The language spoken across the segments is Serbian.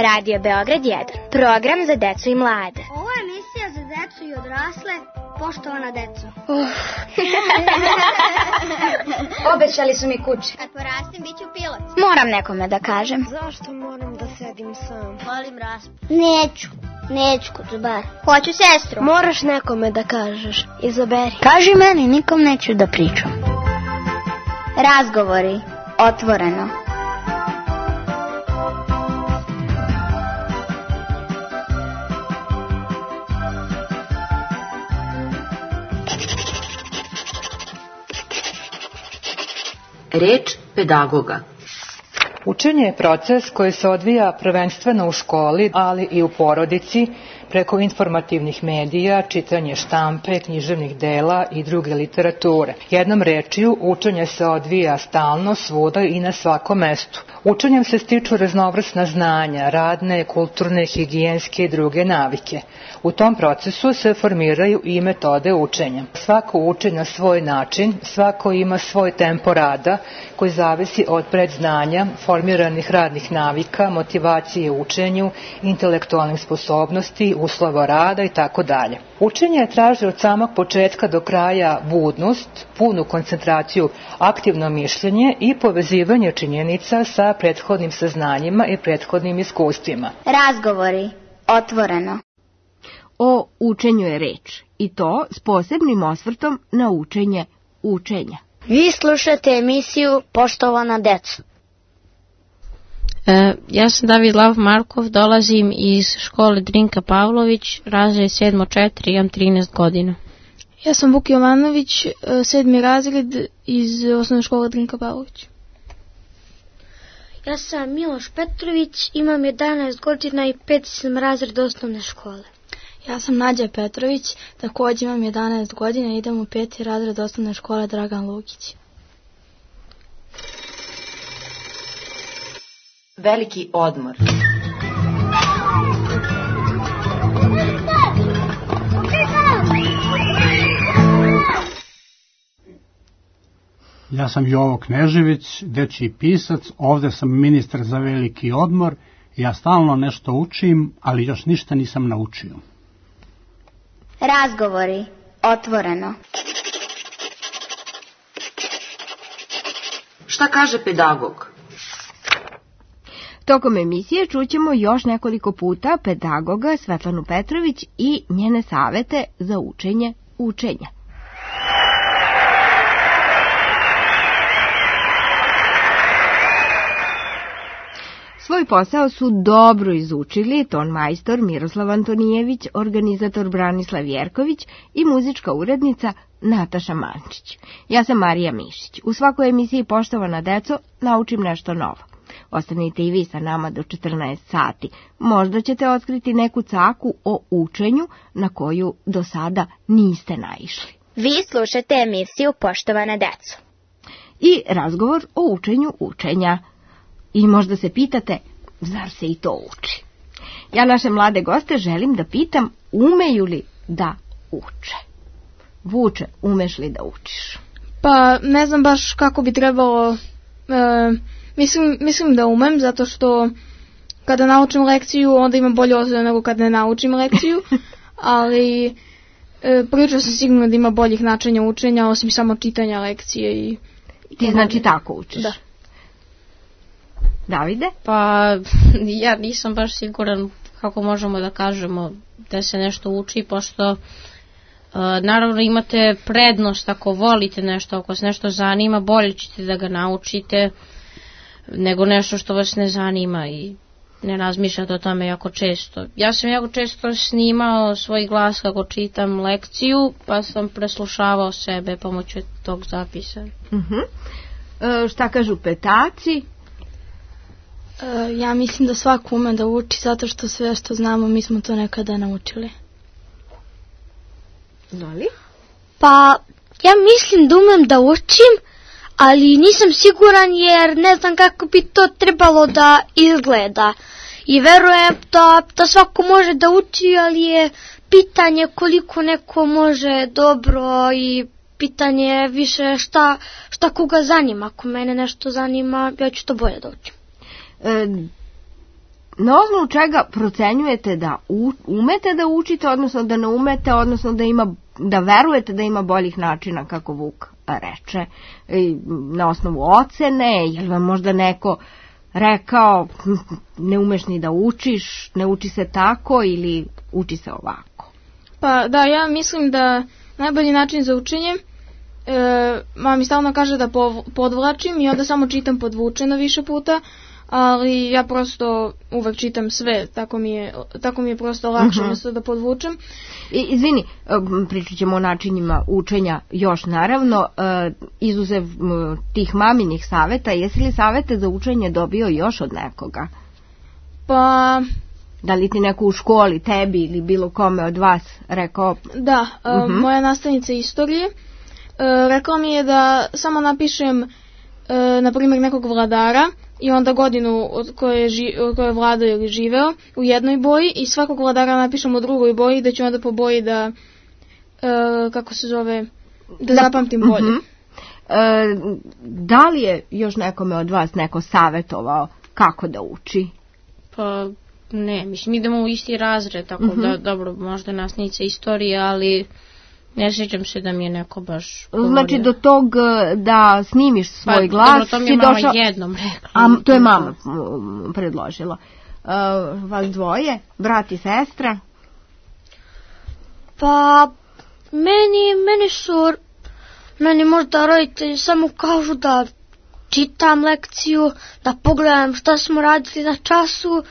Radio Beograd 1, program za decu i mlade. Ovo je emisija za decu i odrasle, poštovana deco. Obećali su mi kuće. Kad porastim, bit ću pilot. Moram nekome da kažem. Zašto moram da sedim sam? Volim raspad. Neću Kuzubar. Hoću sestru. Moraš nekome da kažeš. Izaberi. Kaži meni, nikom neću da pričam. Razgovori, otvoreno. Reč pedagoga. Učenje je proces koji se odvija prvenstveno u školi, ali i u porodici, preko informativnih medija, čitanje štampe, književnih dela i druge literature. Jednom rečju, učenje se odvija stalno, svuda i na svakom mestu. Učenjem se stiču raznovrsna znanja, radne, kulturne, higijenske i druge navike. U tom procesu se formiraju i metode učenja. Svako uči na svoj način, svako ima svoj tempo rada koji zavisi od predznanja, formiranih radnih navika, motivacije u učenju, intelektualnih sposobnosti, uslova rada i tako dalje. Učenje traži od samog početka do kraja budnost, punu koncentraciju, aktivno mišljenje i povezivanje činjenica sa prethodnim saznanjima i prethodnim iskustvima. Razgovori, otvoreno. O učenju je reč, i to s posebnim osvrtom na učenje učenja. Vi slušate emisiju Poštovana deco. Ja sam David Lav Markov, dolazim iz škole Drinka Pavlović, razred 7-4, imam 13 godina. Ja sam Vuk Jovanović, 7. razred iz osnovne škole Drinka Pavlović. Ja sam Miloš Petrović, imam 11 godina i 5. sam razred osnovne škole. Ja sam Nađa Petrović, također imam 11 godina i idem u 5. razred osnovne škole Dragan Lukić. Veliki odmor. Ja sam Jovo Knežević, dečiji pisac, ovde sam ministar za veliki odmor. Ja stalno nešto učim, ali još ništa nisam naučio. Razgovori, otvoreno. Šta kaže pedagog? Tokom emisije čućemo još nekoliko puta pedagoga Svetlanu Petrović i njene savete za učenje učenja. Svoj posao su dobro izučili tonmajstor Miroslav Antonijević, organizator Branislav Jerković i muzička urednica Nataša Mančić. Ja sam Marija Mišić. U svakoj emisiji Poštovana deco naučim nešto novo. Ostanite i vi sa nama do 14 sati. Možda ćete otkriti neku caku o učenju na koju do sada niste naišli. Vi slušate emisiju Poštovana deco. I razgovor o učenju učenja. I možda se pitate, zar se i to uči? Ja naše mlade goste želim da pitam, umeju li da uče? Vuče, umeš li da učiš? Pa ne znam baš kako bi trebalo, mislim da umem, zato što kada naučim lekciju onda imam bolje ocene nego kada ne naučim lekciju, ali prilično sam sigurna da ima boljih načina učenja osim samo čitanja lekcije. I ti znači tako učiš? Da. Davide? Pa ja nisam baš siguran kako možemo da kažemo da se nešto uči, pošto naravno imate prednost ako volite nešto, ako se nešto zanima, bolje ćete da ga naučite nego nešto što vas ne zanima i ne razmišljate o tome jako često. Ja sam jako često snimao svoj glas kako čitam lekciju, pa sam preslušavao sebe pomoću tog zapisa. Šta kažu petaci? Ja mislim da svako ume da uči, zato što sve što znamo mi smo to nekada naučili. Zoli? Pa ja mislim da umem da učim, ali nisam siguran jer ne znam kako bi to trebalo da izgleda. I verujem da svako može da uči, ali je pitanje koliko neko može dobro i pitanje je više šta koga zanima. Ako mene nešto zanima, ja ću to bolje da učim. na osnovu čega procenjujete da umete da učite, odnosno da ne umete, odnosno da verujete da ima boljih načina, kako Vuk reče, na osnovu ocene, je li vam možda neko rekao ne umeš ni da učiš, ne uči se tako ili uči se ovako? Pa da, ja mislim da najbolji način za učenje, mama mi stalno kaže da podvlačim i onda samo čitam podvučeno više puta, ali ja prosto uvek čitam sve, tako mi je prosto lakše umjesto da podvučem. Izvini, pričat ćemo o načinima učenja još naravno, izuzev tih maminih saveta, jesi li savete za učenje dobio još od nekoga? Pa... Da li ti neko u školi, tebi ili bilo kome od vas rekao? Da, moja nastavnica istorije rekao mi je da samo napišem na primjer nekog vladara i onda godinu od koje je vladao ili živeo u jednoj boji i svakog vladara napišem u drugoj boji, da ću onda po boji da kako se zove, da zapamtim bolje. Da li je još nekome od vas neko savjetovao kako da uči? Pa ne, mislim idemo u isti razred, tako da dobro, možda nastavnica istorije, ali ne sjećam se da mi je neko baš govorio. Znači do tog da snimiš svoj glas, dobro, to mi je mama jednom rekla. A to je mama predložila. Vas dvoje, brat i sestra? Pa meni možda roditelji samo kažu da čitam lekciju, da pogledam šta smo radili na času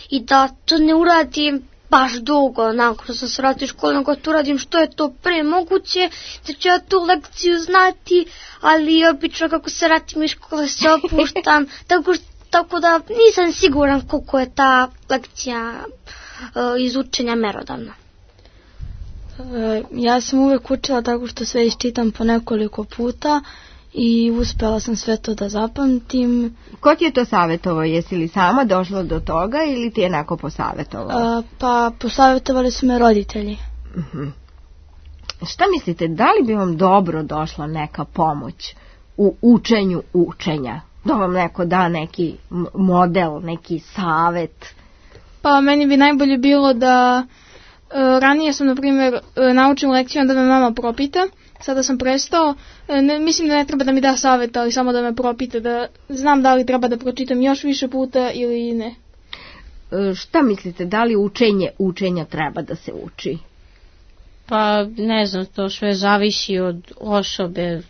i da to ne uradim baš dugo, nakon što se vrati u školu, nego to uradim što je to pre moguće, da ću ja tu lekciju znati, ali obično kako se vratim iz škole se opuštam, tako da nisam siguran koliko je ta lekcija iz učenja merodavna. Ja sam uvek učila tako što sve iščitam po nekoliko puta i uspela sam sve to da zapamtim. Ko ti je to savjetovao? Jesi li sama došla do toga ili ti je neko posavjetovao? Pa posavjetovali su me roditelji. Šta mislite, da li bi vam dobro došla neka pomoć u učenju učenja? Da vam neko da neki model, neki savjet? Pa meni bi najbolje bilo da ranije sam, na primjer, naučim lekciju, onda me mama propita. Sada sam prestao. Mislim da ne treba da mi da savjet, ali samo da me propita, da znam da li treba da pročitam još više puta ili ne. Šta mislite, da li učenja treba da se uči? Pa ne znam, to sve zavisi od osobe,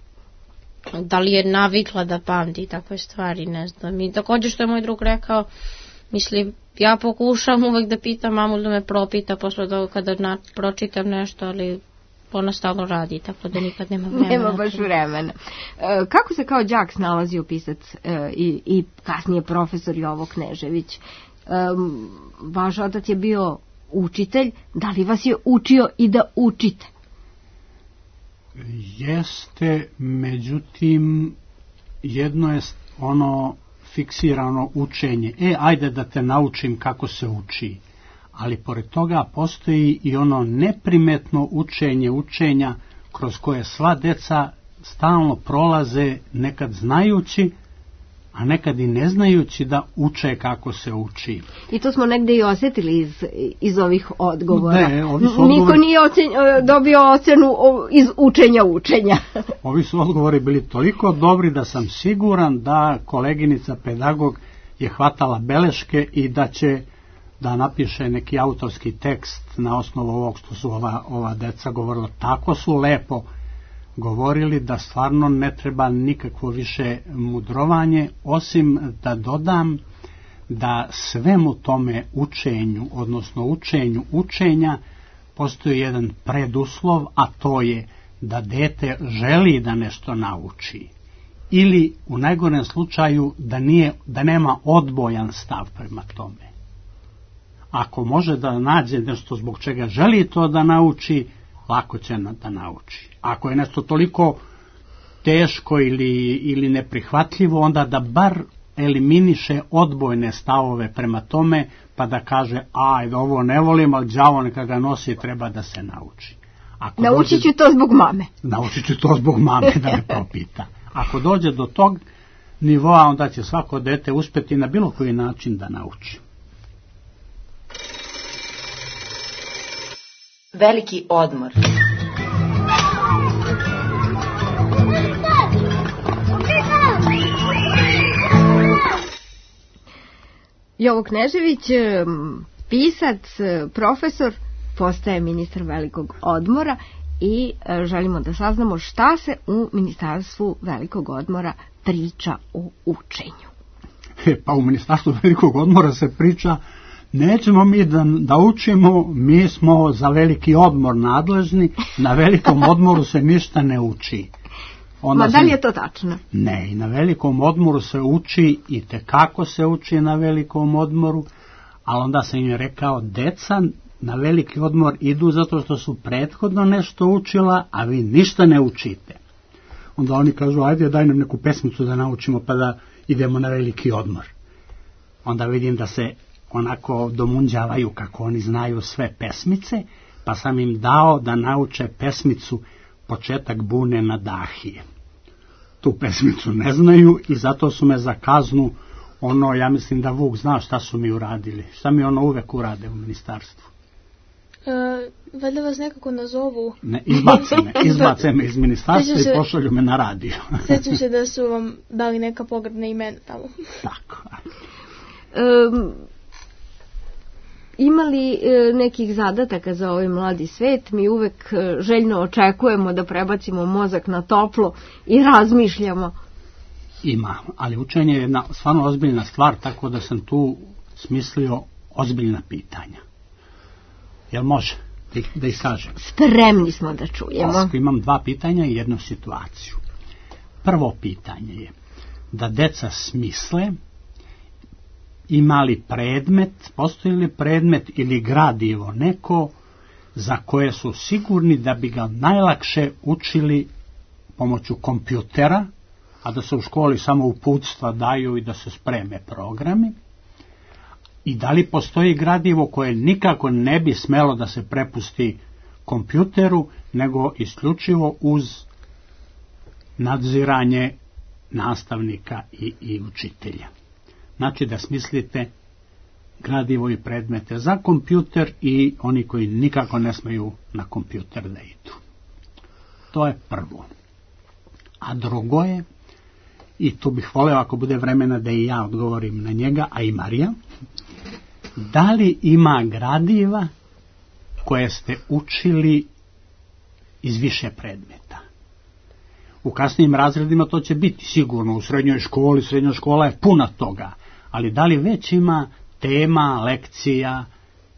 da li je navikla da pamti takve stvari, ne znam. I također što je moj drug rekao, mislim, ja pokušam uvek da pitam mamu da me propita posle toga kada pročitam nešto, ali ona stalno radi, tako da nikad nema vremena. Nema baš vremena. Kako se kao đak snalazio pisac i kasnije profesor Jovo Knežević? Vaš otac je bio učitelj, da li vas je učio i da učite? Jeste, međutim, jedno je ono fiksirano učenje. Ajde da te naučim kako se uči. Ali pored toga postoji i ono neprimetno učenja kroz koje sva deca stalno prolaze, nekad znajući, a nekad i ne znajući da uče kako se uči. I to smo negde i osjetili iz ovih odgovora. Niko nije dobio ocenu iz učenja. Ovi su odgovori bili toliko dobri da sam siguran da koleginica pedagog je hvatala beleške i da će da napiše neki autorski tekst na osnovu ovog što su ova deca govorila. Tako su lepo govorili da stvarno ne treba nikakvo više mudrovanje, osim da dodam da svemu tome učenju, odnosno učenju učenja, postoji jedan preduslov, a to je da dete želi da nešto nauči. Ili u najgorem slučaju da nema odbojan stav prema tome. Ako može da nađe nešto zbog čega želi to da nauči, lako će da nauči. Ako je nešto toliko teško ili neprihvatljivo, onda da bar eliminiše odbojne stavove prema tome, pa da kaže, ajde, ovo ne volim, ali đavo neka ga nosi, treba da se nauči. Naučit ću to zbog mame. Naučit ću to zbog mame, da me propita. Ako dođe do tog nivoa, onda će svako dete uspjeti na bilo koji način da nauči. Veliki odmor. Jovo Knežević, pisac, profesor, postaje ministar velikog odmora i želimo da saznamo šta se u Ministarstvu velikog odmora priča o učenju. Pa u Ministarstvu velikog odmora se priča, nećemo mi da učimo, mi smo za veliki odmor nadležni, na velikom odmoru se ništa ne uči. Ma da li je to tačno? Ne, i na velikom odmoru se uči i tekako se uči na velikom odmoru, ali onda sam im rekao, deca na veliki odmor idu zato što su prethodno nešto učila, a vi ništa ne učite. Onda oni kažu, ajde daj nam neku pesmicu da naučimo pa da idemo na veliki odmor. Onda vidim da se onako domunđavaju kako oni znaju sve pesmice, pa sam im dao da nauče pesmicu Početak bune na Dahije. Tu pesmicu ne znaju i zato su me za kaznu, ja mislim da Vuk zna šta su mi uradili. Šta mi uvek urade u ministarstvu? Valjda vas nekako nazovu. Ne, izbace me iz ministarstva i pošalju me na radio. Sjećam se da su vam dali neka pogrdna imena tamo. Tako. Ima li nekih zadataka za ovaj mladi svet? Mi uvek željno očekujemo da prebacimo mozak na toplo i razmišljamo. Ima, ali učenje je jedna stvarno ozbiljna stvar, tako da sam tu smislio ozbiljna pitanja. Jel može da ih kažem? Spremni smo da čujemo. Imam 2 pitanja i jednu situaciju. Prvo pitanje je da deca smisle, ima li predmet, postoji li predmet ili gradivo neko za koje su sigurni da bi ga najlakše učili pomoću kompjutera, a da se u školi samo uputstva daju i da se spreme programi, i da li postoji gradivo koje nikako ne bi smelo da se prepusti kompjuteru, nego isključivo uz nadziranje nastavnika i učitelja. Znači da smislite gradivo i predmete za kompjuter i oni koji nikako ne smeju na kompjuter da idu. To je prvo. A drugo je, i tu bih voleo ako bude vremena da i ja odgovorim na njega, a i Marija, da li ima gradiva koje ste učili iz više predmeta? U kasnijim razredima to će biti sigurno, u srednjoj školi, srednja škola je puna toga, ali da li već ima tema, lekcija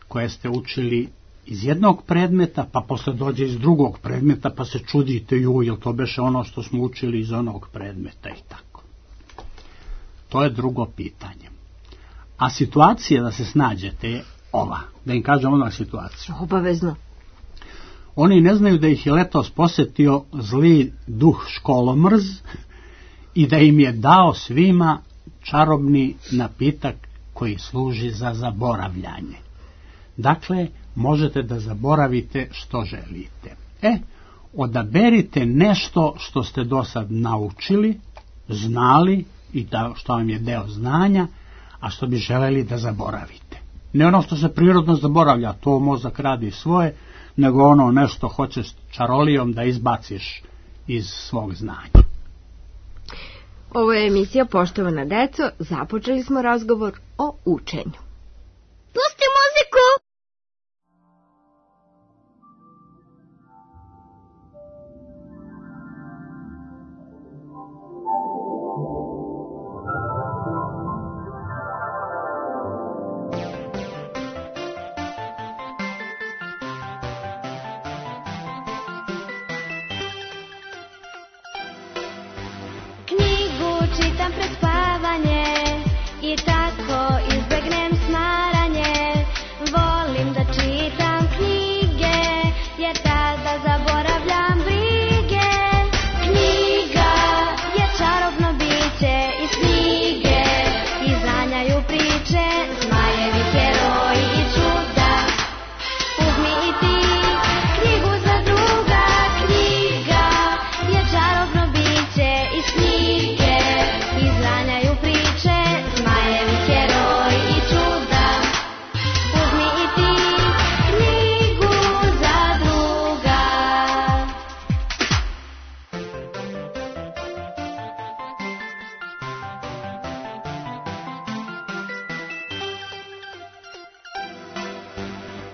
koje ste učili iz jednog predmeta, pa posle dođe iz drugog predmeta, pa se čudite, jel to beše ono što smo učili iz onog predmeta i tako. To je drugo pitanje. A situacija da se snađete je ova, da im kažem odmah situaciju. Obavezno. Oni ne znaju da ih je letos posetio zli duh školomrz i da im je dao svima čarobni napitak koji služi za zaboravljanje. Dakle, možete da zaboravite što želite. Odaberite nešto što ste do sad naučili, znali i što vam je deo znanja, a što bi želeli da zaboravite. Ne ono što se prirodno zaboravlja, to mozak radi svoje, nego ono nešto hoćeš čarolijom da izbaciš iz svog znanja. Ovo je emisija Poštovana deco, započeli smo razgovor o učenju. Pusti muziku! Čitam pred spavanje i tako izbegnem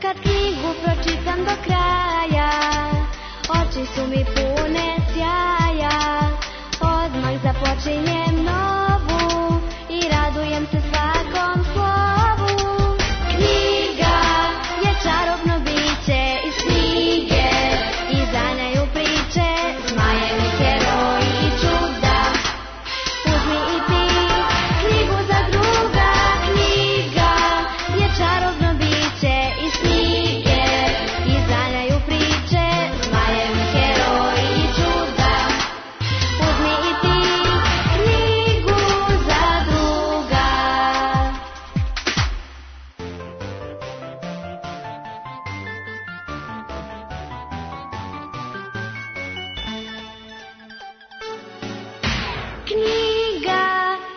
kad knjigu pročitam do kraja, oči su mi pune sjaja, odmah započinjem novu i radujem se svakom slovu. Knjiga je čarobno biće iz knjige, izanjaju priče, zmajevi, heroji i čuda. Uzmi i ti knjigu za druga, knjiga je čarobno biće iz knjige, izanjaju priče, zmajevi, heroji i čuda. Uzmi i ti knjigu za druga. Knjiga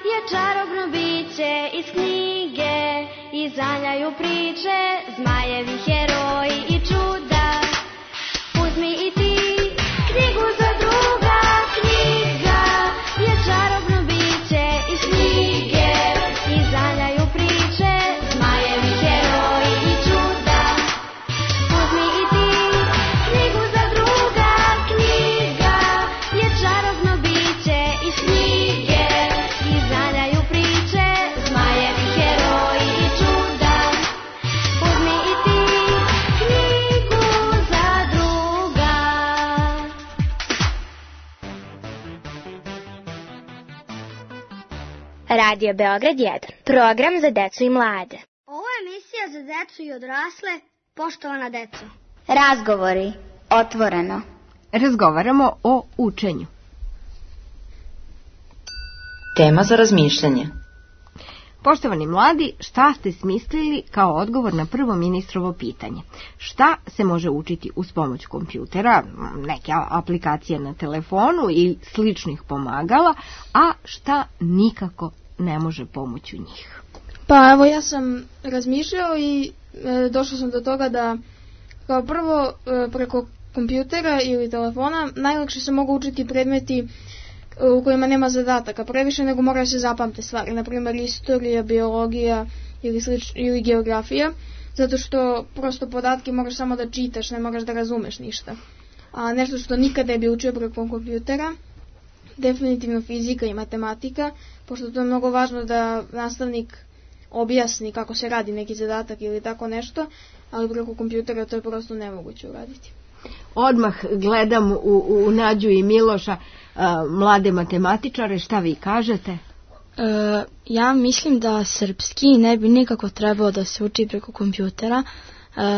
je čarobno biće iz knjige, izanjaju priče, zmajevi, heroji i čuda. Uzmi i ti knjigu za druga, knjiga je čarobno biće iz knjige, izanjaju priče, zmajevi, heroji i čuda. Uzmi i ti knjigu za druga, knjiga je čarobno biće iz knjige, izanjaju priče, zmajevi, heroji i čuda. Uzmi i ti knjigu za druga. Radio Beograd 1. Program za decu i mlade. Ovo je emisija za decu i odrasle, poštovana deco. Razgovori. Otvoreno. Razgovaramo o učenju. Tema za razmišljanje. Poštovani mladi, šta ste smislili kao odgovor na prvo ministrovo pitanje? Šta se može učiti uz pomoć kompjutera, neke aplikacije na telefonu i sličnih pomagala, a šta nikako ne može pomoći u njih? Pa evo, ja sam razmišljao i došao sam do toga da kao prvo preko kompjutera ili telefona najlakše se mogu učiti predmeti u kojima nema zadataka previše, nego moraju se zapamte stvari, na primjer istorija, biologija ili geografija, zato što prosto podatke moraš samo da čitaš, ne moraš da razumeš ništa. A nešto što nikada ne bi učio preko kompjutera, definitivno fizika i matematika, pošto to je mnogo važno da nastavnik objasni kako se radi neki zadatak ili tako nešto, ali preko kompjutera to je prosto nemoguće uraditi. Odmah gledam u Nađu i Miloša, mlade matematičare, šta vi kažete? Ja mislim da srpski ne bi nikako trebao da se uči preko kompjutera,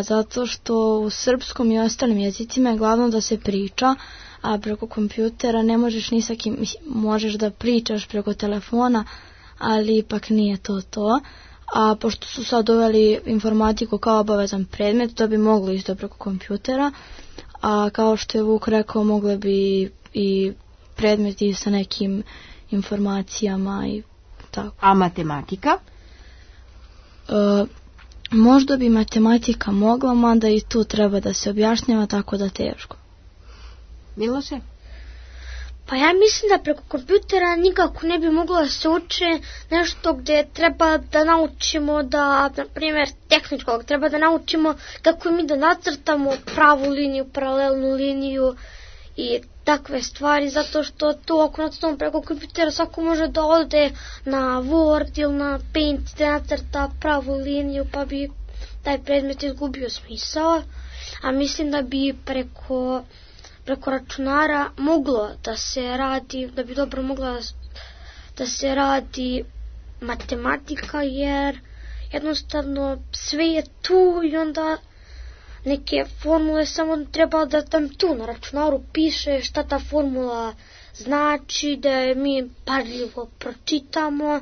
zato što u srpskom i ostalim jezicima je glavno da se priča, a preko kompjutera ne možeš ni sa kim, možeš da pričaš preko telefona, ali ipak nije to. A pošto su sad uveli informatiku kao obavezan predmet, to bi moglo isto preko kompjutera, a kao što je Vuk rekao, mogle bi i predmeti sa nekim informacijama i tako. A matematika? Možda bi matematika mogla, mada i tu treba da se objašnjava, tako da teško. Miloše? Pa ja mislim da preko kompjutera nikako ne bi moglo da se uče nešto gdje treba da naučimo da, na primjer, tehničkog, treba da naučimo kako mi da nacrtamo pravu liniju, paralelnu liniju i takve stvari, zato što to ako nacrtamo preko kompjutera svako može da ode na Word ili na Paint da nacrta pravu liniju, pa bi taj predmet izgubio smisao, a mislim da bi preko računara moglo da se radi, da bi dobro mogla da se radi matematika, jer jednostavno sve je tu i onda neke formule samo treba da tam tu na računaru piše šta ta formula znači, da je mi pažljivo pročitamo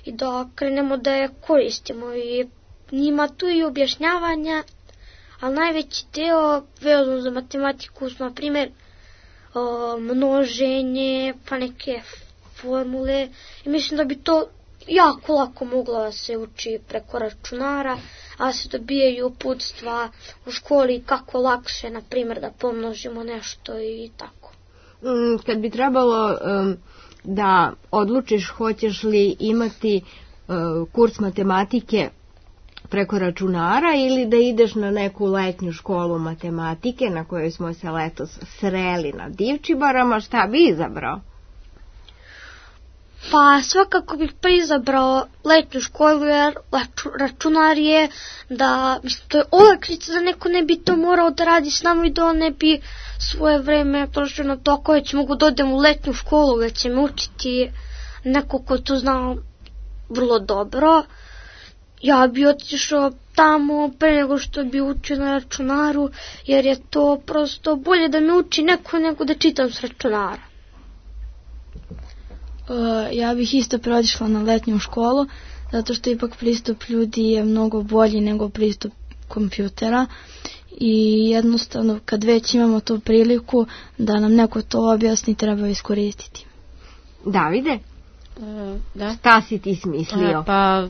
i da krenemo da je koristimo i njima tu i objašnjavanja. Ali najveći deo vezan za matematiku su, na primjer, množenje, pa neke formule. I mislim da bi to jako lako moglo da se uči preko računara, a se dobijaju uputstva u školi kako lakše, na primjer, da pomnožimo nešto i tako. Kad bi trebalo da odlučiš hoćeš li imati kurs matematike preko računara ili da ideš na neku letnju školu matematike na kojoj smo se letos sreli na Divčibarama, šta bi izabrao? Pa svakako bih pa izabrao letnju školu jer računar je da, mislim, to je olakšica da neko ne bi to morao da radi s nama i da on ne bi svoje vreme trošio na to koje će mogu da odem u letnju školu, da će me učiti neko ko to zna vrlo dobro. Ja bi otišao tamo pre nego što bi učio na računaru, jer je to prosto bolje da me uči neko nego da čitam s računara. Ja bih isto otišla na letnju školu, zato što ipak pristup ljudi je mnogo bolji nego pristup kompjutera i jednostavno kad već imamo tu priliku da nam neko to objasni, treba iskoristiti. Davide? Da. Šta si ti smislio? Pa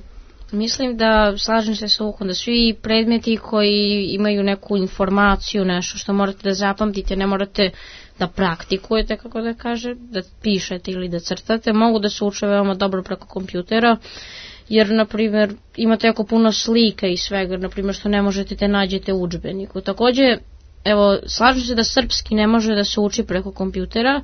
mislim da slažem se sa Vukom da svi predmeti koji imaju neku informaciju, nešto što morate da zapamtite, ne morate da praktikujete, kako da kaže, da pišete ili da crtate, mogu da se uče veoma dobro preko kompjutera, jer, na primjer, imate jako puno slika i svega, na primjer, što ne možete da nađete u udžbeniku. Takođe, evo, slažem se da srpski ne može da se uči preko kompjutera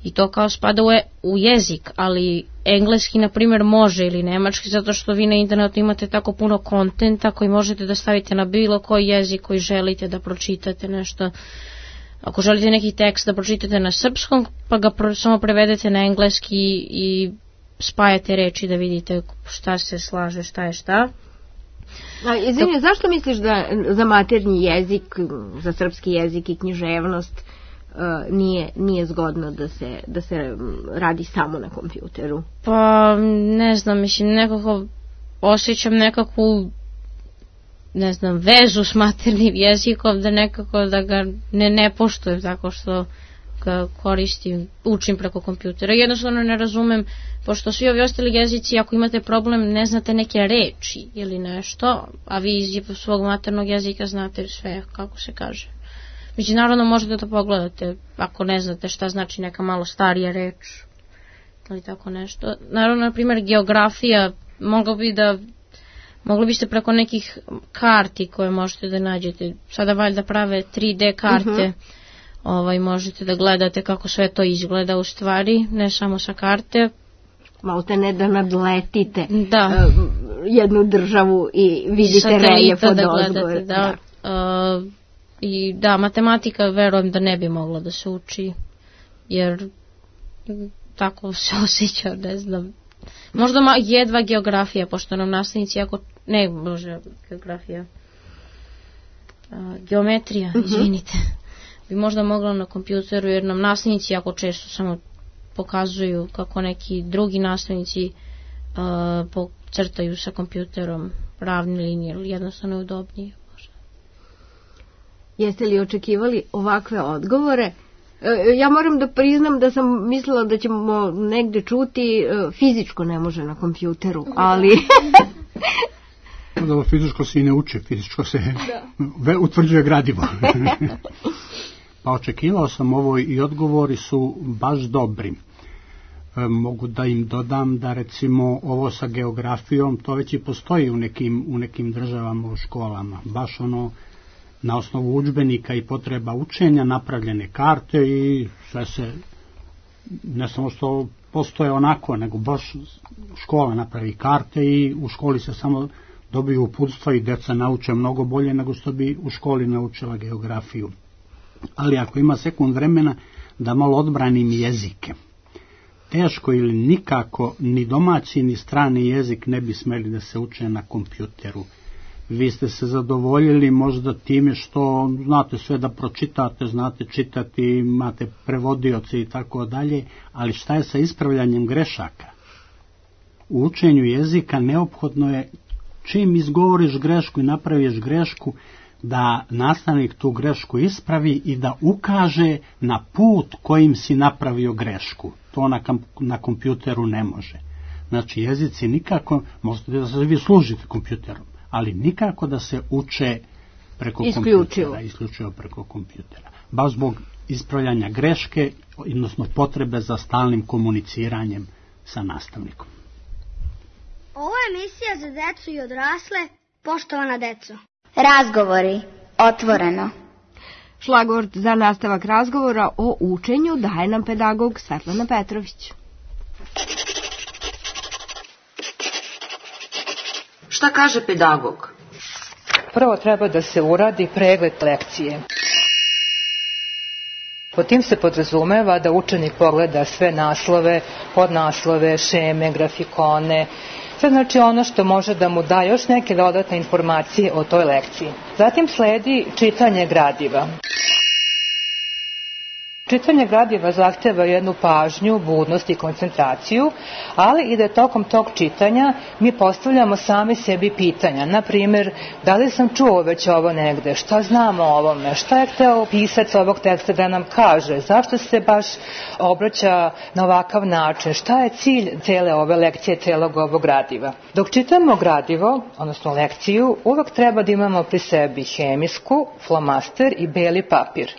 i to kao spada u jezik, ali engleski, na primjer, može ili nemački, zato što vi na internetu imate tako puno kontenta koji možete da stavite na bilo koji jezik koji želite da pročitate nešto. Ako želite neki tekst da pročitate na srpskom, pa ga samo prevedete na engleski i spajate reči da vidite šta se slaže, šta je šta. Izvini, zašto misliš da za maternji jezik, za srpski jezik i književnost nije zgodno da se radi samo na kompjuteru? Pa ne znam, mislim, nekako osjećam nekakvu vezu s maternim jezikom, da nekako da ga ne poštujem tako što ga koristim, učim preko kompjutera. Jednostavno ne razumem, pošto svi ovi ostali jezici, ako imate problem, ne znate neke reči ili nešto, a vi iz svog maternog jezika znate sve, kako se kaže. Međunarodno možete da pogledate, ako ne znate šta znači neka malo starija reč ili tako nešto. Naravno, na primjer, geografija, mogli biste preko nekih karti koje možete da nađete, sada valjda prave 3D karte, možete da gledate kako sve to izgleda u stvari, ne samo sa karte. Malo te ne da nadletite jednu državu i vidite reljef od ozgore. I da, matematika verujem da ne bi mogla da se uči, jer tako se osjeća, ne znam. Možda jedva geografija, pošto nam nastavnici geometrija, izvinite, bi možda mogla na kompjuteru, jer nam nastavnici jako često samo pokazuju kako neki drugi nastavnici crtaju sa kompjuterom ravne linije, ili jednostavno udobnije. Jeste li očekivali ovakve odgovore? Ja moram da priznam da sam mislila da ćemo negde čuti fizičko ne može na kompjuteru, ali... Da, fizičko se i ne uči, fizičko se utvrđuje gradivo. Pa očekivao sam ovo i odgovori su baš dobri. Mogu da im dodam da recimo ovo sa geografijom, to već i postoji u nekim državama u školama. Baš na osnovu udžbenika i potreba učenja napravljene karte i sve se, ne samo što postoje onako, nego baš škola napravi karte i u školi se samo dobiju uputstva i deca nauče mnogo bolje nego što bi u školi naučila geografiju. Ali ako ima sekund vremena da malo odbranim jezike, teško ili nikako ni domaći ni strani jezik ne bi smeli da se uče na kompjuteru. Vi ste se zadovoljili možda time što znate sve da pročitate, znate čitati, imate prevodioce i tako dalje, ali šta je sa ispravljanjem grešaka? U učenju jezika neophodno je čim izgovoriš grešku i napraviš grešku, da nastavnik tu grešku ispravi i da ukaže na put kojim si napravio grešku. To na kompjuteru ne može. Znači jezici nikako, možete da se vi služite kompjuterom, ali nikako da se uče preko kompjutera, isključivo preko kompjutera. Baš zbog ispravljanja greške, odnosno potrebe za stalnim komuniciranjem sa nastavnikom. Ovo je emisija za decu i odrasle, poštovana deco. Razgovori, otvoreno. Šlagvort za nastavak razgovora o učenju daje nam pedagog Svetlana Petrović. Šta kaže pedagog? Prvo treba da se uradi pregled lekcije. Pod tim se podrazumeva da učenik pogleda sve naslove, podnaslove, šeme, grafikone, sve znači ono što može da mu da još neke dodatne informacije o toj lekciji. Zatim sledi čitanje gradiva. Čitanje gradiva zahteva jednu pažnju, budnost i koncentraciju, ali i da tokom tog čitanja mi postavljamo sami sebi pitanja. Na primjer, da li sam čuo već ovo negde, šta znamo o ovome, šta je hteo pisac ovog teksta da nam kaže, zašto se baš obraća na ovakav način, šta je cilj cele ove lekcije, celog ovog gradiva. Dok čitamo gradivo, odnosno lekciju, uvek treba da imamo pri sebi hemijsku, flomaster i beli papir.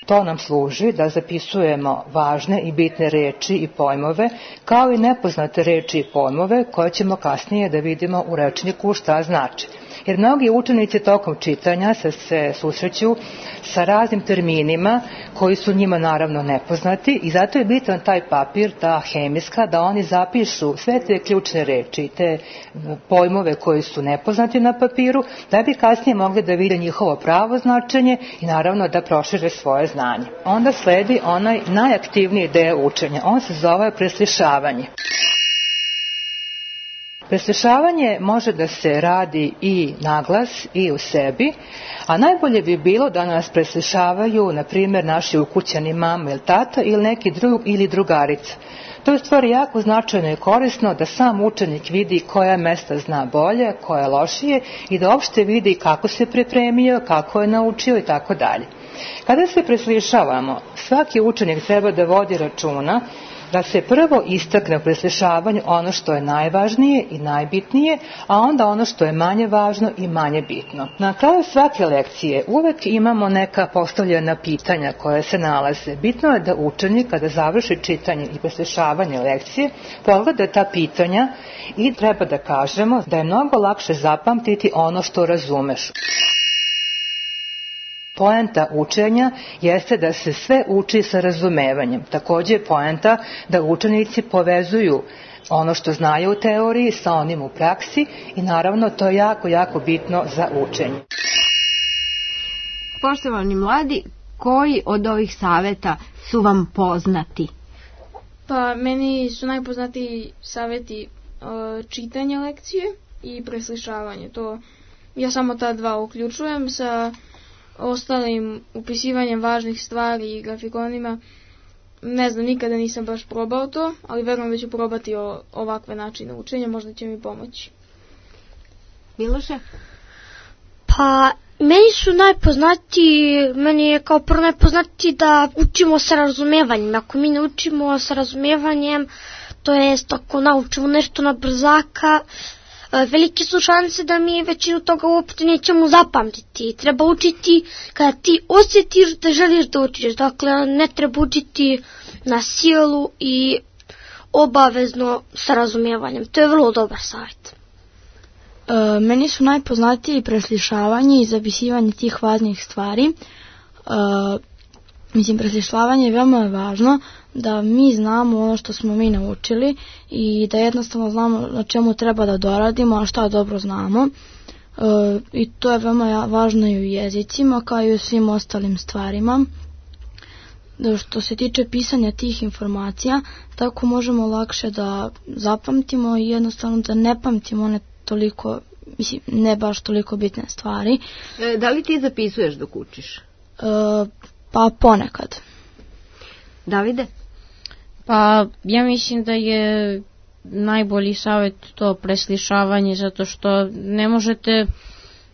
To nam služi da zapisujemo važne i bitne reči i pojmove, kao i nepoznate reči i pojmove koje ćemo kasnije da vidimo u rečniku šta znači. Jer mnogi učenici tokom čitanja se susreću sa raznim terminima koji su njima naravno nepoznati i zato je bitan taj papir, ta hemijska, da oni zapišu sve te ključne reči, te pojmove koji su nepoznati na papiru, da bi kasnije mogli da vide njihovo pravo značenje i naravno da prošire svoje znanje. Onda sledi onaj najaktivniji deo učenja, on se zove preslišavanje. Preslišavanje može da se radi i naglas i u sebi, a najbolje bi bilo da nas preslišavaju, na primjer, naši ukućani mama ili tata ili neki drug ili drugarica. To je u stvari jako značajno i korisno da sam učenik vidi koja mesta zna bolje, koja lošije i da uopšte vidi kako se pripremio, kako je naučio i tako dalje. Kada se preslišavamo, svaki učenik treba da vodi računa da se prvo istakne u preslišavanju ono što je najvažnije i najbitnije, a onda ono što je manje važno i manje bitno. Na kraju svake lekcije uvek imamo neka postavljena pitanja koje se nalaze. Bitno je da učenik kada završi čitanje i preslišavanje lekcije pogleda ta pitanja i treba da kažemo da je mnogo lakše zapamtiti ono što razumeš. Poenta učenja jeste da se sve uči sa razumevanjem. Također je poenta da učenici povezuju ono što znaju u teoriji sa onim u praksi i naravno to je jako, jako bitno za učenje. Poštovani mladi, koji od ovih saveta su vam poznati? Pa meni su najpoznatiji saveti čitanje lekcije i preslišavanje. To ja samo ta dva uključujem sa ostalim upisivanjem važnih stvari i grafikonima. Ne znam, nikada nisam baš probao to, ali verujem da ću probati ovakve načine učenja, možda će mi pomoći. Miloše? Pa, meni je kao prvo najpoznatiji da učimo sa razumevanjem. Ako mi ne učimo sa razumevanjem, to jest ako naučimo nešto na brzaka, velike su šanse da mi većinu toga uopšte nećemo zapamtiti. Treba učiti kada ti osjetiš da želiš da učiš. Dakle, ne treba učiti na silu i obavezno sa razumijevanjem. To je vrlo dobar savjet. Meni su najpoznatiji preslišavanje i zapisivanje tih važnih stvari. Preslišavanje je veoma važno da mi znamo ono što smo mi naučili i da jednostavno znamo na čemu treba da doradimo, a šta dobro znamo. I to je veoma važno i u jezicima kao i u svim ostalim stvarima. Što se tiče pisanja tih informacija, tako možemo lakše da zapamtimo i jednostavno da ne pamtimo one toliko, ne baš toliko bitne stvari. Da li ti zapisuješ dok učiš? Pa ponekad. Davide? Pa ja mislim da je najbolji savjet to preslišavanje, zato što ne možete,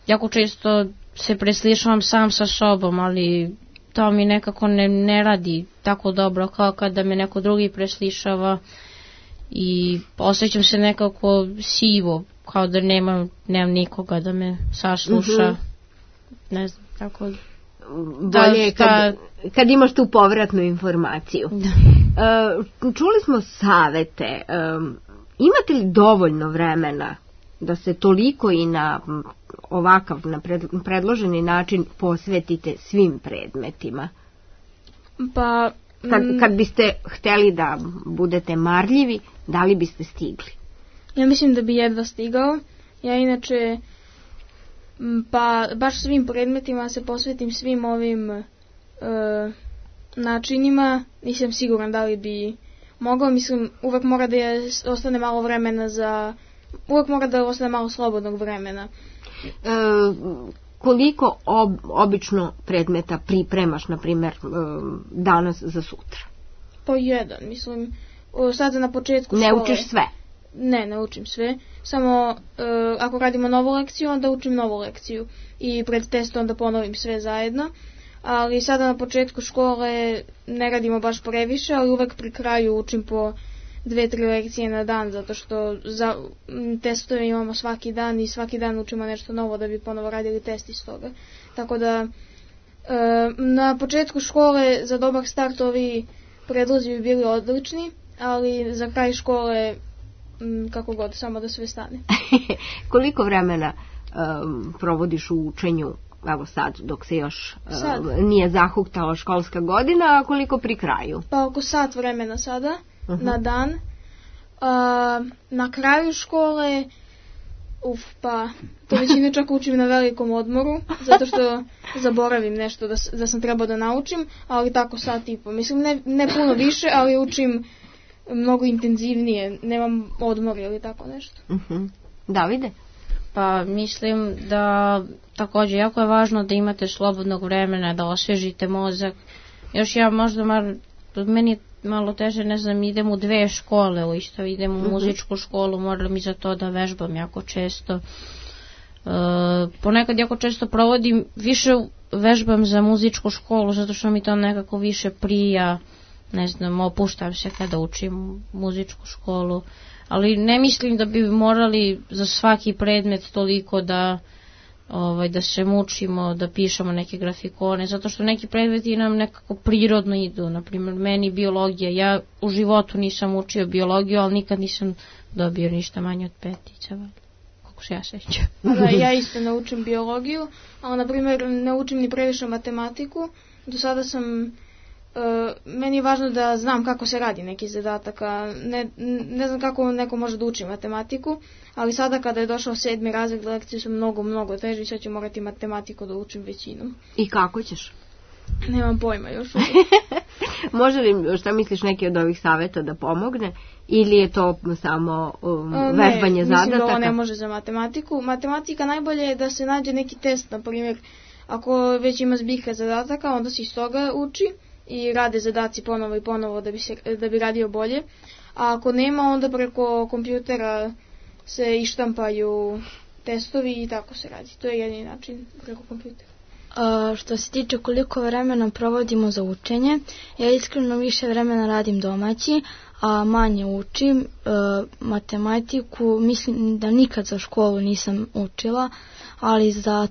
jako često se preslišavam sam sa sobom, ali to mi nekako ne radi tako dobro kao kada me neko drugi preslišava i osjećam se nekako sivo, kao da nemam nikoga da me sasluša. Ne znam, tako bolje je kad imaš tu povratnu informaciju. Čuli smo savete. Imate li dovoljno vremena da se toliko i na ovakav, na predloženi način posvetite svim predmetima? Pa... Kad biste hteli da budete marljivi, da li biste stigli? Ja mislim da bi jedva stigao. Ja inače, pa baš svim predmetima se posvetim svim ovim načinima. Nisam siguran da li bi mogao. Mislim, uvek mora da ostane malo vremena uvek mora da ostane malo slobodnog vremena. Koliko obično predmeta pripremaš, na primjer, danas za sutra? Po jedan, mislim. Sada na početku škole. Ne učiš sve? Ne učim sve. Samo ako radimo novu lekciju, onda učim novu lekciju. I pred testom onda ponovim sve zajedno. Ali sada na početku škole ne radimo baš previše, ali uvek pri kraju učim po 2-3 lekcije na dan, zato što za testove imamo svaki dan i svaki dan učimo nešto novo da bi ponovo radili test iz toga. Tako da na početku škole za dobar start ovi predlozi bi bili odlični, ali za kraj škole kako god, samo da sve stane. Koliko vremena provodiš u učenju, evo sad, dok se još nije zahuktala školska godina, a koliko pri kraju? Pa oko sat vremena sada, na dan. Na kraju škole, pa to većinu čak učim na velikom odmoru, zato što zaboravim nešto da sam trebao da naučim, ali tako sat i po. Mislim, ne puno više, ali učim mnogo intenzivnije, nemam odmor ili tako nešto. Davide? Pa mislim da također jako je važno da imate slobodnog vremena, da osvježite mozak. Još ja možda meni je malo teže, ne znam, idem u 2 škole, isto idem u muzičku školu, moram i za to da vežbam jako često. Ponekad jako često provodim, više vežbam za muzičku školu, zato što mi to nekako više prija, ne znam, opuštam se kada učim muzičku školu, ali ne mislim da bi morali za svaki predmet toliko da se mučimo, da pišemo neke grafikone, zato što neki predmeti nam nekako prirodno idu. Naprimjer, meni biologija, ja u životu nisam učio biologiju, ali nikad nisam dobio ništa manje od 5, kako se ja sećam. Ja isto ne učim biologiju, ali na primjer ne učim ni previše matematiku. Do sada sam meni je važno da znam kako se radi neki zadataka. Ne znam kako neko može da uči matematiku, ali sada kada je došao 7. razred, lekcije su mnogo teže i sad ću morati matematiku da učim većinom. I kako ćeš? Nemam pojma još. Može li, šta misliš, neki od ovih savjeta da pomogne? Ili je to samo vežbanje zadataka? Mislim da ovo ne može za matematiku. Matematika najbolje je da se nađe neki test, na primjer, ako već ima zbirka zadataka, onda se iz toga uči i rade zadaci ponovo i ponovo da bi radio bolje. A ako nema, onda preko kompjutera se ištampaju testovi i tako se radi. To je jedini način, preko kompjutera. Što se tiče koliko vremena provodimo za učenje, ja iskreno više vremena radim domaći, a manje učim matematiku. Mislim da nikad za školu nisam učila, ali za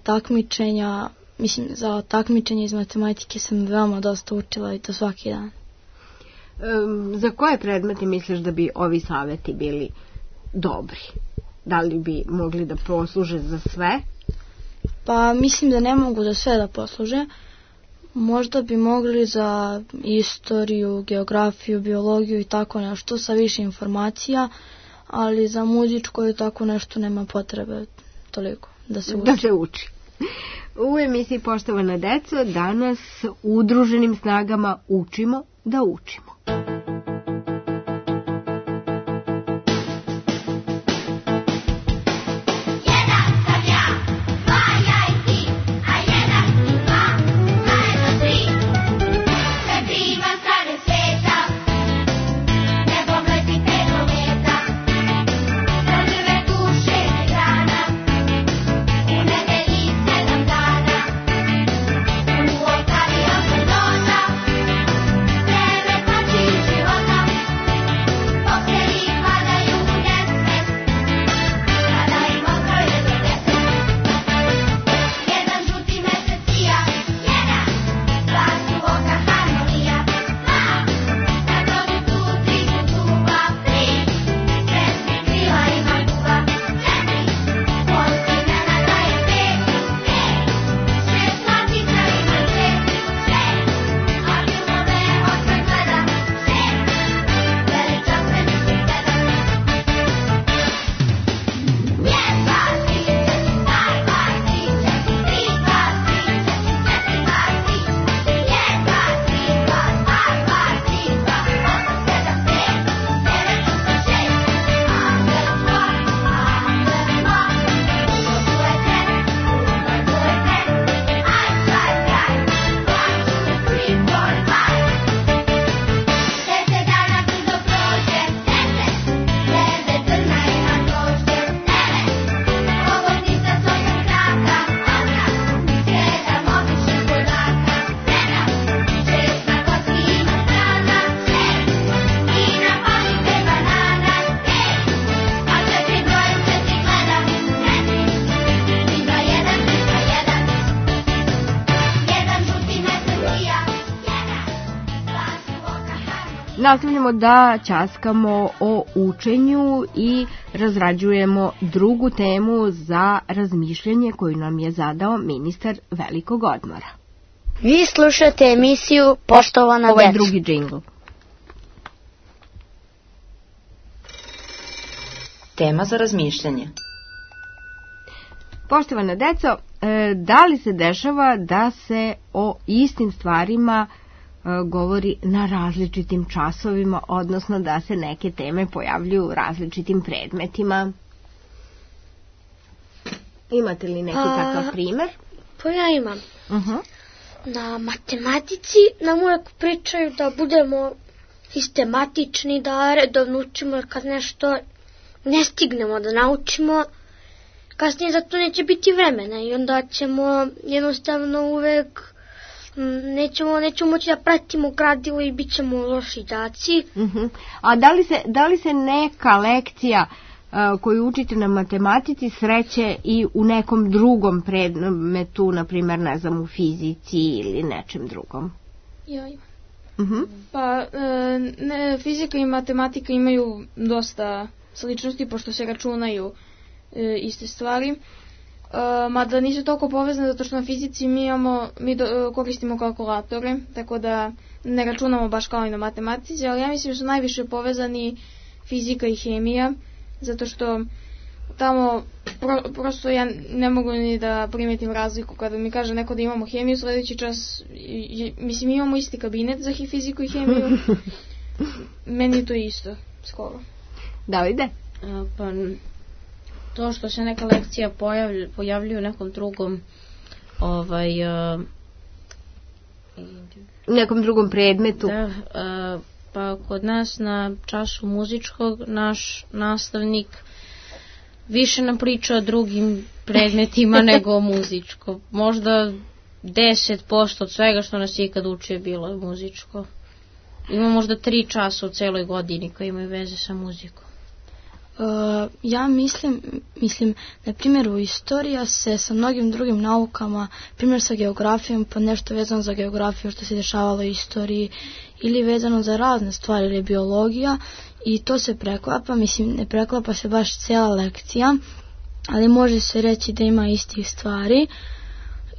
takmičenje iz matematike sam veoma dosta učila i to svaki dan. Za koje predmete misliš da bi ovi savjeti bili dobri? Da li bi mogli da posluže za sve? Pa mislim da ne mogu za sve da posluže. Možda bi mogli za istoriju, geografiju, biologiju i tako nešto sa više informacija, ali za muzičko i tako nešto nema potrebe toliko da se uči. Da se uči. U emisiji Poštovana deco danas udruženim snagama učimo da učimo. Thank you. Nastavljamo da ćaskamo o učenju i razrađujemo drugu temu za razmišljanje koju nam je zadao ministar velikog odmora. Vi slušate emisiju Poštovana deco. Ovo je drugi džingl. Tema za razmišljanje. Poštovana deco, da li se dešava da se o istim stvarima govori na različitim časovima, odnosno da se neke teme pojavljuju u različitim predmetima? Imate li neki takav primer? Pa ja imam. Na matematici nam uvek pričaju da budemo sistematični, da redovno učimo, kad nešto ne stignemo da naučimo, kasnije za to neće biti vremena i onda ćemo jednostavno uvek nećemo moći da pratimo gradivo i bit ćemo loši đaci. A da li se neka lekcija koju učite na matematici sreće i u nekom drugom predmetu, na primjer, ne znam, u fizici ili nečem drugom? Ja imam. Pa fizika i matematika imaju dosta sličnosti, pošto se računaju iste stvari. Mada nisu toliko povezane, zato što na fizici mi koristimo kalkulatore, tako da ne računamo baš kao i na matematici, ali ja mislim da su najviše povezani fizika i hemija, zato što tamo prosto ja ne mogu ni da primetim razliku kada mi kaže neko da imamo hemiju, sledeći čas, mislim, imamo isti kabinet za fiziku i hemiju, meni je to isto, skoro. Davide? Pa to što se neka lekcija pojavljuje u nekom drugom nekom drugom predmetu. Da, pa kod nas na času muzičkog naš nastavnik više nam priča o drugim predmetima nego o muzičkom. Možda 10% od svega što nas je ikad učio bilo je muzičko. Ima možda 3 časa u celoj godini koji imaju veze sa muzikom. Ja mislim, na primjer u istorija se sa mnogim drugim naukama, primjer sa geografijom, pa nešto vezano za geografiju što se dešavalo u istoriji, ili vezano za razne stvari, ili biologija, i to se preklapa, mislim, ne preklapa se baš cijela lekcija, ali može se reći da ima istih stvari,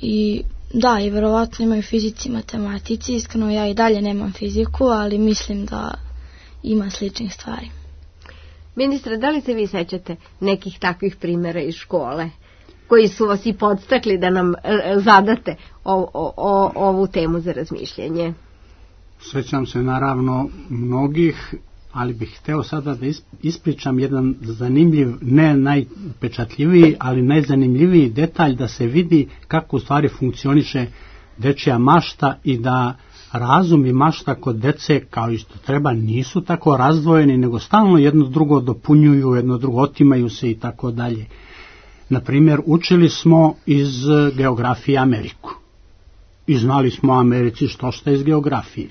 i da, i verovatno imaju fizici i matematici, iskreno ja i dalje nemam fiziku, ali mislim da ima sličnih stvari. Ministre, da li se vi sećate nekih takvih primjera iz škole koji su vas i podstakli da nam zadate ovu temu za razmišljanje? Sećam se naravno mnogih, ali bih hteo sada da ispričam jedan zanimljiv, ne najpečatljiviji, ali najzanimljiviji detalj, da se vidi kako u stvari funkcioniše dečija mašta i da razum i mašta kod dece, kao isto treba, nisu tako razdvojeni, nego stalno jedno drugo dopunjuju, jedno drugo otimaju se i tako dalje. Naprimjer, učili smo iz geografije Ameriku i znali smo o Americi što iz geografije.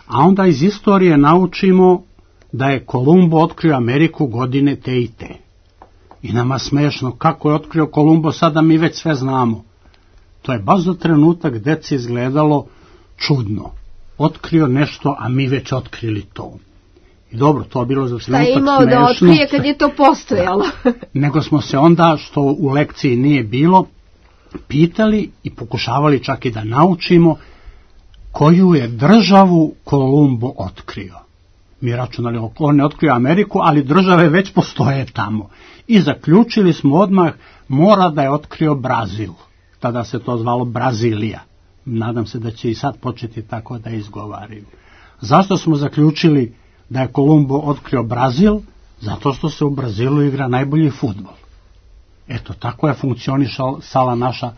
A onda iz istorije naučimo da je Kolumbo otkrio Ameriku godine te i te. I nama smešno, kako je otkrio Kolumbo, sada mi već sve znamo. To je baš za trenutak deci izgledalo čudno. Otkrio nešto, a mi već otkrili to. I dobro, to je bilo za trenutak smešno. Šta je imao da otkrije kad je to postojalo? Nego smo se onda, što u lekciji nije bilo, pitali i pokušavali čak i da naučimo koju je državu Kolumbo otkrio. Mi računali, on je otkrio Ameriku, ali države već postoje tamo. I zaključili smo odmah, mora da je otkrio Brazil. Tada se to zvalo Brazilija. Nadam se da će i sad početi tako da izgovaraju. Zašto smo zaključili da je Kolumbo otkrio Brazil? Zato što se u Brazilu igra najbolji fudbal. Eto, tako je funkcionisala naša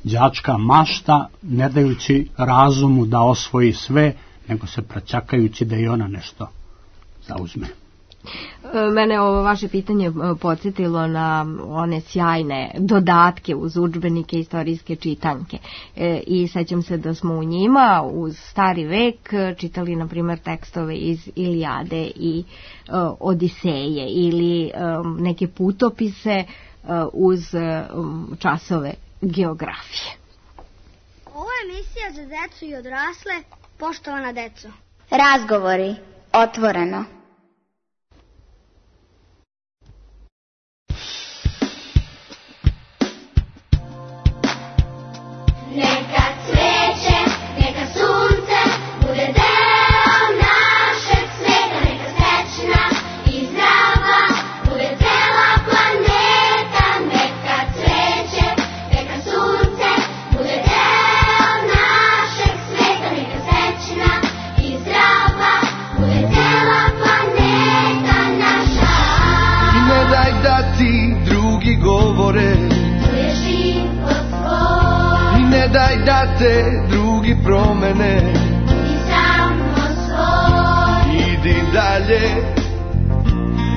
đačka mašta, ne dajući razumu da osvoji sve, nego se praćakajući da i ona nešto zauzme. Mene ovo vaše pitanje podsjetilo na one sjajne dodatke uz udžbenike istorijske čitanke. I sećam se da smo u njima uz stari vek čitali, na primjer, tekstove iz Ilijade i Odiseje ili neke putopise uz časove geografije. Ovo je emisija za decu i odrasle. Poštovana deco. Razgovori otvoreno. Neka cveće, neka sunce bude deo našeg sveta, neka srećna i zdrava bude cela planeta. Neka cveće, neka sunce bude deo našeg sveta, neka srećna i zdrava bude cela planeta naša. I ne daj da ti drugi govore, ne daj da te drugi promene, i samo svoj. Idi dalje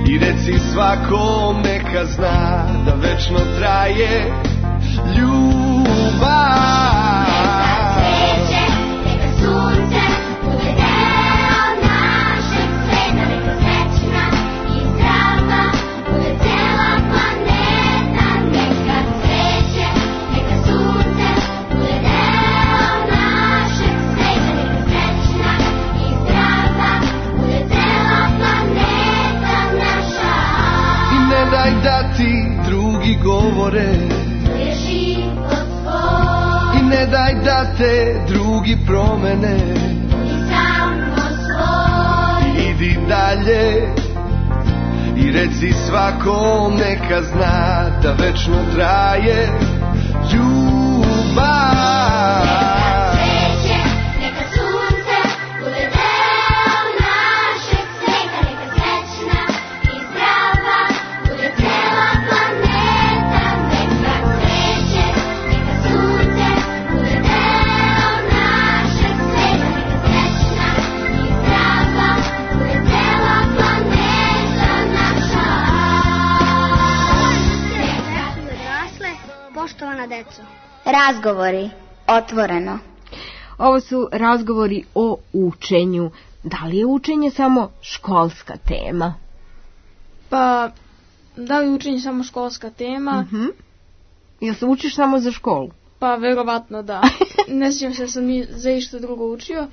i reci svakom neka zna da večno traje ljubav. Neka cveće, neka sunce bude deo našeg sveta, neka srećna i zdrava bude cela planeta. Neka cveće, neka sunce bude deo našeg sveta, neka srećna i zdrava bude cela planeta naša. I ne daj da ti drugi govore, i ne daj da te drugi promene, i samo svoj. Idi dalje i reci svakom neka zna da večno traje ljubav. Neka cveće, neka sunce bude deo našeg sveta, neka srećna i zdrava bude cela planeta. Neka cveće, neka sunce bude deo našeg sveta, neka srećna i zdrava bude cela planeta naša. Odrasle, poštovana deco. Razgovori, otvoreno. Ovo su razgovori o učenju. Da li je učenje samo školska tema? Pa, da li učenje samo školska tema? Jel se učiš samo za školu? Pa, verovatno da. Ne sjećam se da sam za išta drugo učio.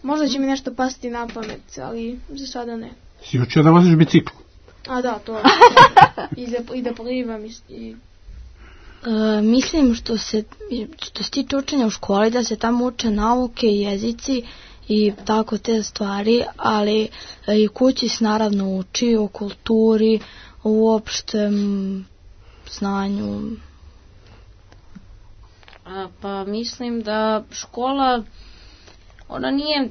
Možda će mi nešto pasti na pamet, ali za sada ne. Si učio da voziš bicikl? A da, to. I da plivam i... Mislim što se tiče učenja u školi, da se tamo uče nauke, jezici i tako te stvari, ali i kući se naravno uči o kulturi, o uopštem znanju. Pa mislim da škola, ona nije,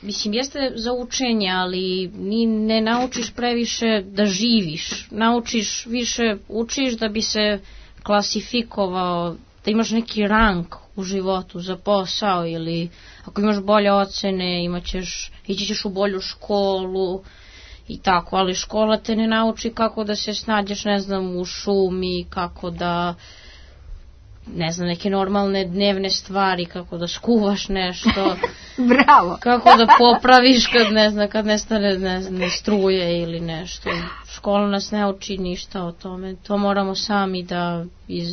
mislim jeste za učenje, ali ne naučiš previše da živiš, naučiš više, učiš da bi se klasifikovao, da imaš neki rang u životu za posao ili ako imaš bolje ocene ići ćeš u bolju školu i tako, ali škola te ne nauči kako da se snađeš, ne znam, u šumi, kako da, ne znam, neke normalne dnevne stvari, kako da skuvaš nešto. Bravo. Kako da popraviš kad nestane ne struje ili nešto. Škola nas ne uči ništa o tome. To moramo sami da iz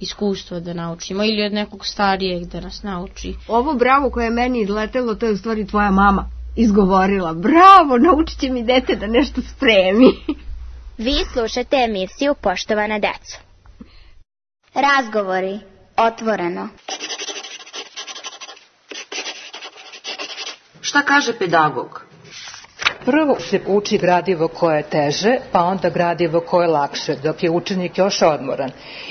iskustva da naučimo ili od nekog starijeg da nas nauči. Ovo bravo koje je meni izletelo, to je u stvari tvoja mama izgovorila. Bravo, naučit će mi dete da nešto spremi. Vi slušate emisiju Poštovana deco. Razgovori, otvoreno. Šta kaže pedagog? Prvo se uči gradivo koje je teže, pa onda gradivo koje je lakše, dok je učenik još odmoran.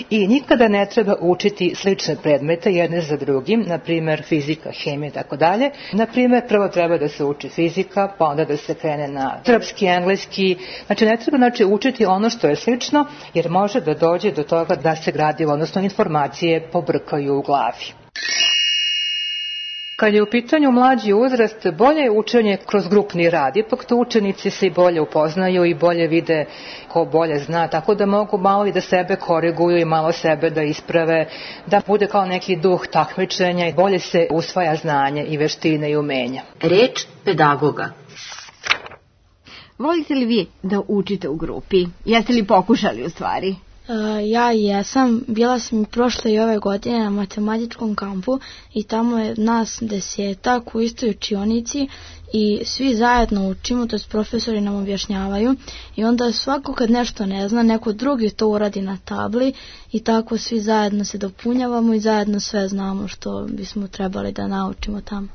I nikada ne treba učiti slične predmete jedne za drugim, na primjer fizika, hemija i tako dalje. Na primjer, prvo treba da se uči fizika, pa onda da se krene na srpski, engleski. Znači, ne treba učiti ono što je slično, jer može da dođe do toga da se gradivo, odnosno informacije, pobrkaju u glavi. Kad je u pitanju mlađi uzrast, bolje je učenje kroz grupni rad, ipak tu učenici se i bolje upoznaju i bolje vide ko bolje zna, tako da mogu malo i da sebe koriguju i malo sebe da isprave, da bude kao neki duh takmičenja i bolje se usvaja znanje i veštine i umenja. Reč pedagoga. Volite li vi da učite u grupi? Jeste li pokušali u stvari? Ja jesam, bila sam i prošle i ove godine na matematičkom kampu i tamo je nas 10 u istoj učionici i svi zajedno učimo, to jest profesori nam objašnjavaju i onda svako kad nešto ne zna, neko drugi to uradi na tabli i tako svi zajedno se dopunjavamo i zajedno sve znamo što bismo trebali da naučimo tamo.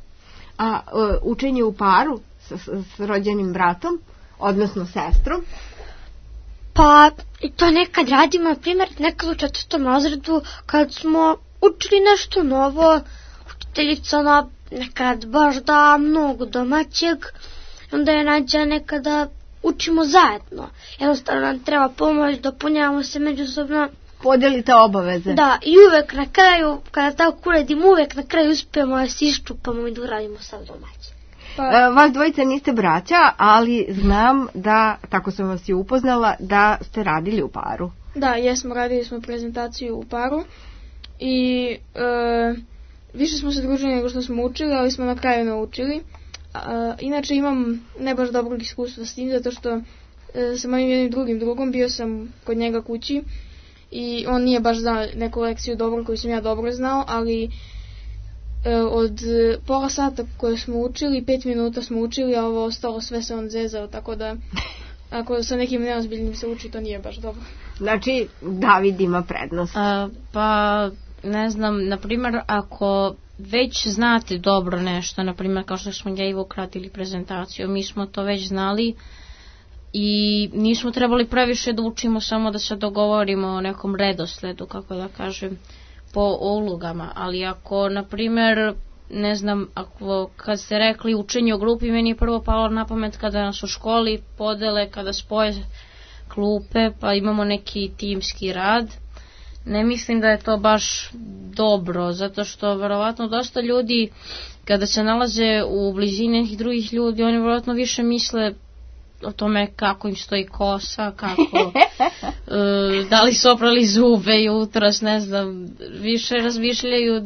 A učenje u paru s rođenim bratom, odnosno sestrom? Pa to nekad radimo, na primjer, nekad u 4. razredu kad smo učili nešto novo, učiteljica ona nekad baš da mnogo domaćeg, onda je nađa nekada učimo zajedno. Jednostavno nam treba pomoć, dopunjavamo se međusobno. Podelite obaveze. Da, i uvek na kraju, kada tako uradimo, uvek na kraju uspijemo da se iščupamo i da uradimo sad domaće. Vas dvojica niste braća, ali znam da, tako sam vas i upoznala, da ste radili u paru. Da, jesmo, radili smo prezentaciju u paru i više smo se družili nego što smo učili, ali smo na kraju naučili. Inače imam ne baš dobrog iskustva s tim, zato što sa mojim jednim drugim drugom bio sam kod njega kući i on nije baš znao neku lekciju dobro koju sam ja dobro znao, ali od pola sata koje smo učili, 5 minuta smo učili, a ovo ostalo sve se on zezao, tako da ako sa nekim neozbiljnim se uči, to nije baš dobro. Znači, David ima prednost. Pa, ne znam, na primjer, ako već znate dobro nešto, na primjer, kao što smo ja i Vuk radili prezentaciju, mi smo to već znali i nismo trebali previše da učimo, samo da se dogovorimo o nekom redosledu, kako da kažem, po ulogama, ali ako, na primjer, ne znam, ako kad ste rekli učenje u grupi, meni je prvo palo na pamet kada nas u školi podele, kada spoje klupe, pa imamo neki timski rad. Ne mislim da je to baš dobro, zato što verovatno dosta ljudi, kada se nalaze u blizini nekih drugih ljudi, oni verovatno više misle o tome kako im stoji kosa, kako da li su oprali zube jutros, ne znam, više razmišljaju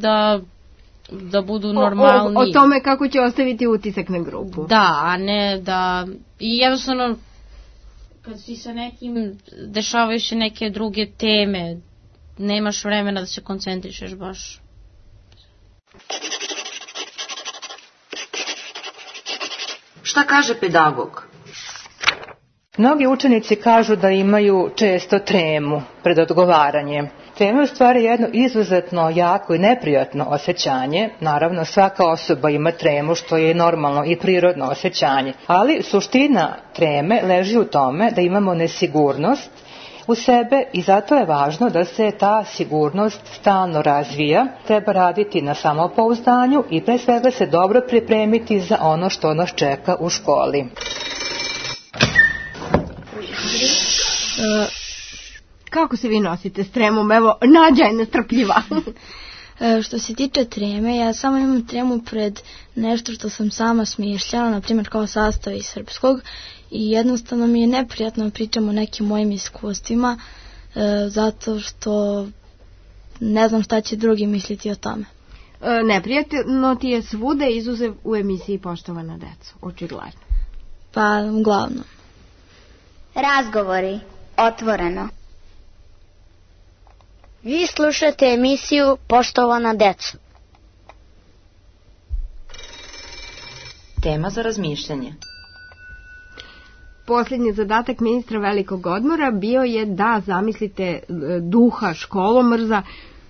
da budu normalni. O tome kako će ostaviti utisak na grupu. Da, a ne da... I jednostavno, kad si sa nekim, dešavaju se neke druge teme, nemaš vremena da se koncentrišeš baš. Šta kaže pedagog? Mnogi učenici kažu da imaju često tremu pred odgovaranjem. Trema je u stvari jedno izuzetno jako i neprijatno osjećanje. Naravno, svaka osoba ima tremu, što je normalno i prirodno osjećanje. Ali suština treme leži u tome da imamo nesigurnost u sebe i zato je važno da se ta sigurnost stalno razvija. Treba raditi na samopouzdanju i pre svega se dobro pripremiti za ono što nas čeka u školi. Kako se vi nosite s tremom? Evo, Nađa je nestrpljiva. Što se tiče treme, ja samo imam tremu pred nešto što sam sama smišljala, na primjer kao sastav iz srpskog, i jednostavno mi je neprijatno pričam o nekim mojim iskustvima, zato što ne znam šta će drugi misliti o tome. Neprijatno ti je svude, izuzev u emisiji Poštovana deco, očigledno. Pa, uglavnom. Razgovori, otvoreno. Vi slušate emisiju Poštovana deco. Tema za razmišljanje. Posljednji zadatak ministra velikog odmora bio je da zamislite duha školomrza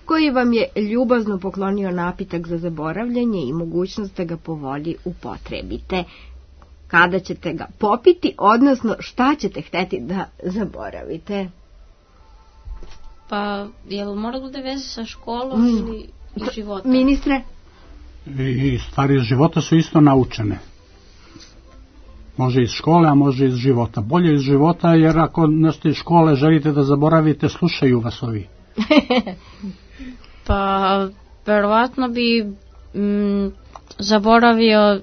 koji vam je ljubazno poklonio napitak za zaboravljanje i mogućnost da ga po volji upotrebite. Kada ćete ga popiti, odnosno šta ćete hteti da zaboravite? Pa, je li mora bude veze sa školom ili iz života? Ministre? I stvari iz života su isto naučene. Može iz škole, a može iz života. Bolje iz života, jer ako nešto iz škole želite da zaboravite, slušaju vas ovi. Pa, verovatno bi zaboravio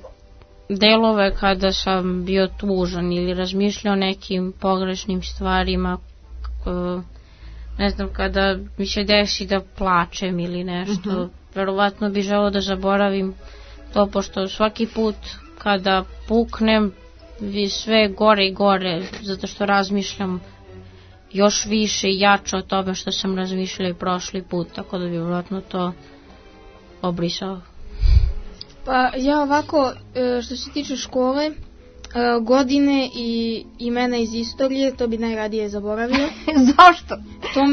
delove kada sam bio tužan ili razmišljao o nekim pogrešnim stvarima, ne znam, kada mi se desi da plačem ili nešto, verovatno bi želeo da zaboravim to, pošto svaki put kada puknem vi sve gore i gore, zato što razmišljam još više i jače od toga što sam razmišljala i prošli put, tako da bi vjerojatno to obrisao. Pa ja ovako, što se tiče škole, godine i imena iz istorije, to bi najradije zaboravio. Zašto?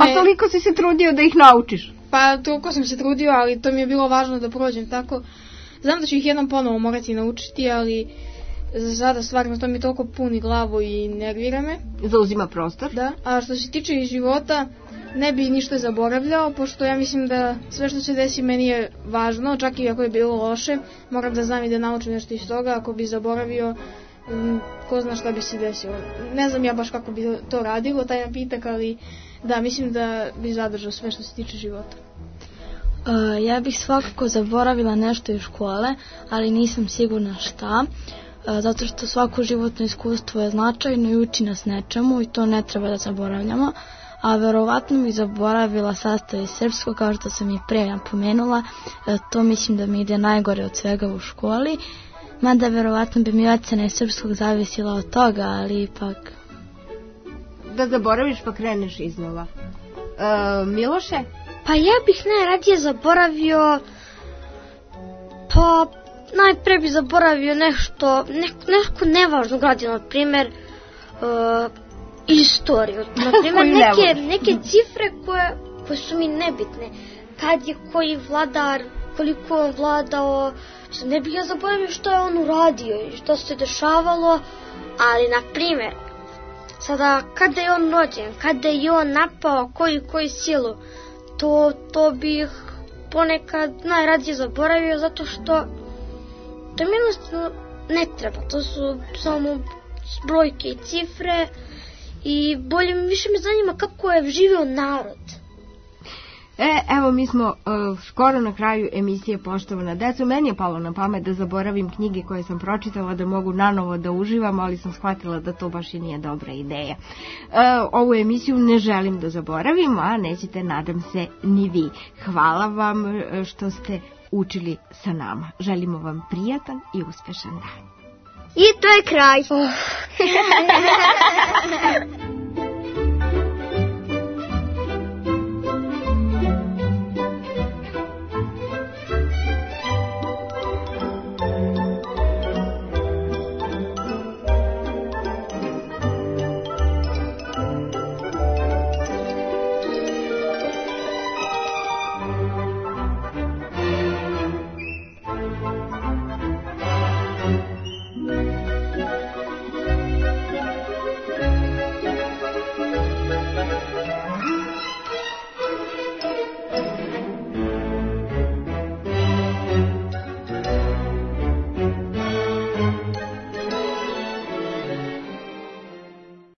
A toliko si se trudio da ih naučiš? Pa toliko sam se trudio, ali to mi je bilo važno da prođem tako. Znam da ću ih jednom ponovo morati naučiti, ali za sada stvarno to mi toliko puni glavu i nervira me. Zauzima prostor. Da, a što se tiče iz života, ne bi ništa zaboravljao, pošto ja mislim da sve što se desi meni je važno, čak i ako je bilo loše, moram da znam i da naučim nešto iz toga. Ako bi zaboravio, ko zna šta bi se desilo. Ne znam ja baš kako bi to radilo, taj napitak, ali da, mislim da bi zadržao sve što se tiče života. Ja bih svakako zaboravila nešto iz škole, ali nisam sigurna šta, zato što svako životno iskustvo je značajno i uči nas nečemu i to ne treba da zaboravljamo. A verovatno bih zaboravila sastav iz srpskog, kao što sam i prije napomenula, to mislim da mi ide najgore od svega u školi, mada verovatno bi mi ocena iz srpskog zavisila od toga, ali ipak... Da zaboraviš pa kreneš iznova. Miloše? Pa ja bih najradije zaboravio, pa najpre bih zaboravio neko nevažno gradino, na primjer istoriju, na primjer neke cifre koje su mi nebitne, kad je koji vladar, koliko on vladao, ne bih ja zaboravio što je on uradio i što se dešavalo, ali na primjer sada kada je on rođen, kada je on napao koju silu, to bih ponekad najradije zaboravio, zato što to mi jednostavno ne treba, to su samo brojke i cifre i više me zanima kako je živio narod. Evo mi smo skoro na kraju emisije Poštovana deco. Meni je palo na pamet da zaboravim knjige koje sam pročitala, da mogu nanovo da uživam, ali sam shvatila da to baš i nije dobra ideja. Ovu emisiju ne želim da zaboravim, a nećete, nadam se, ni vi. Hvala vam što ste učili sa nama. Želimo vam prijatan i uspešan dan. I to je kraj.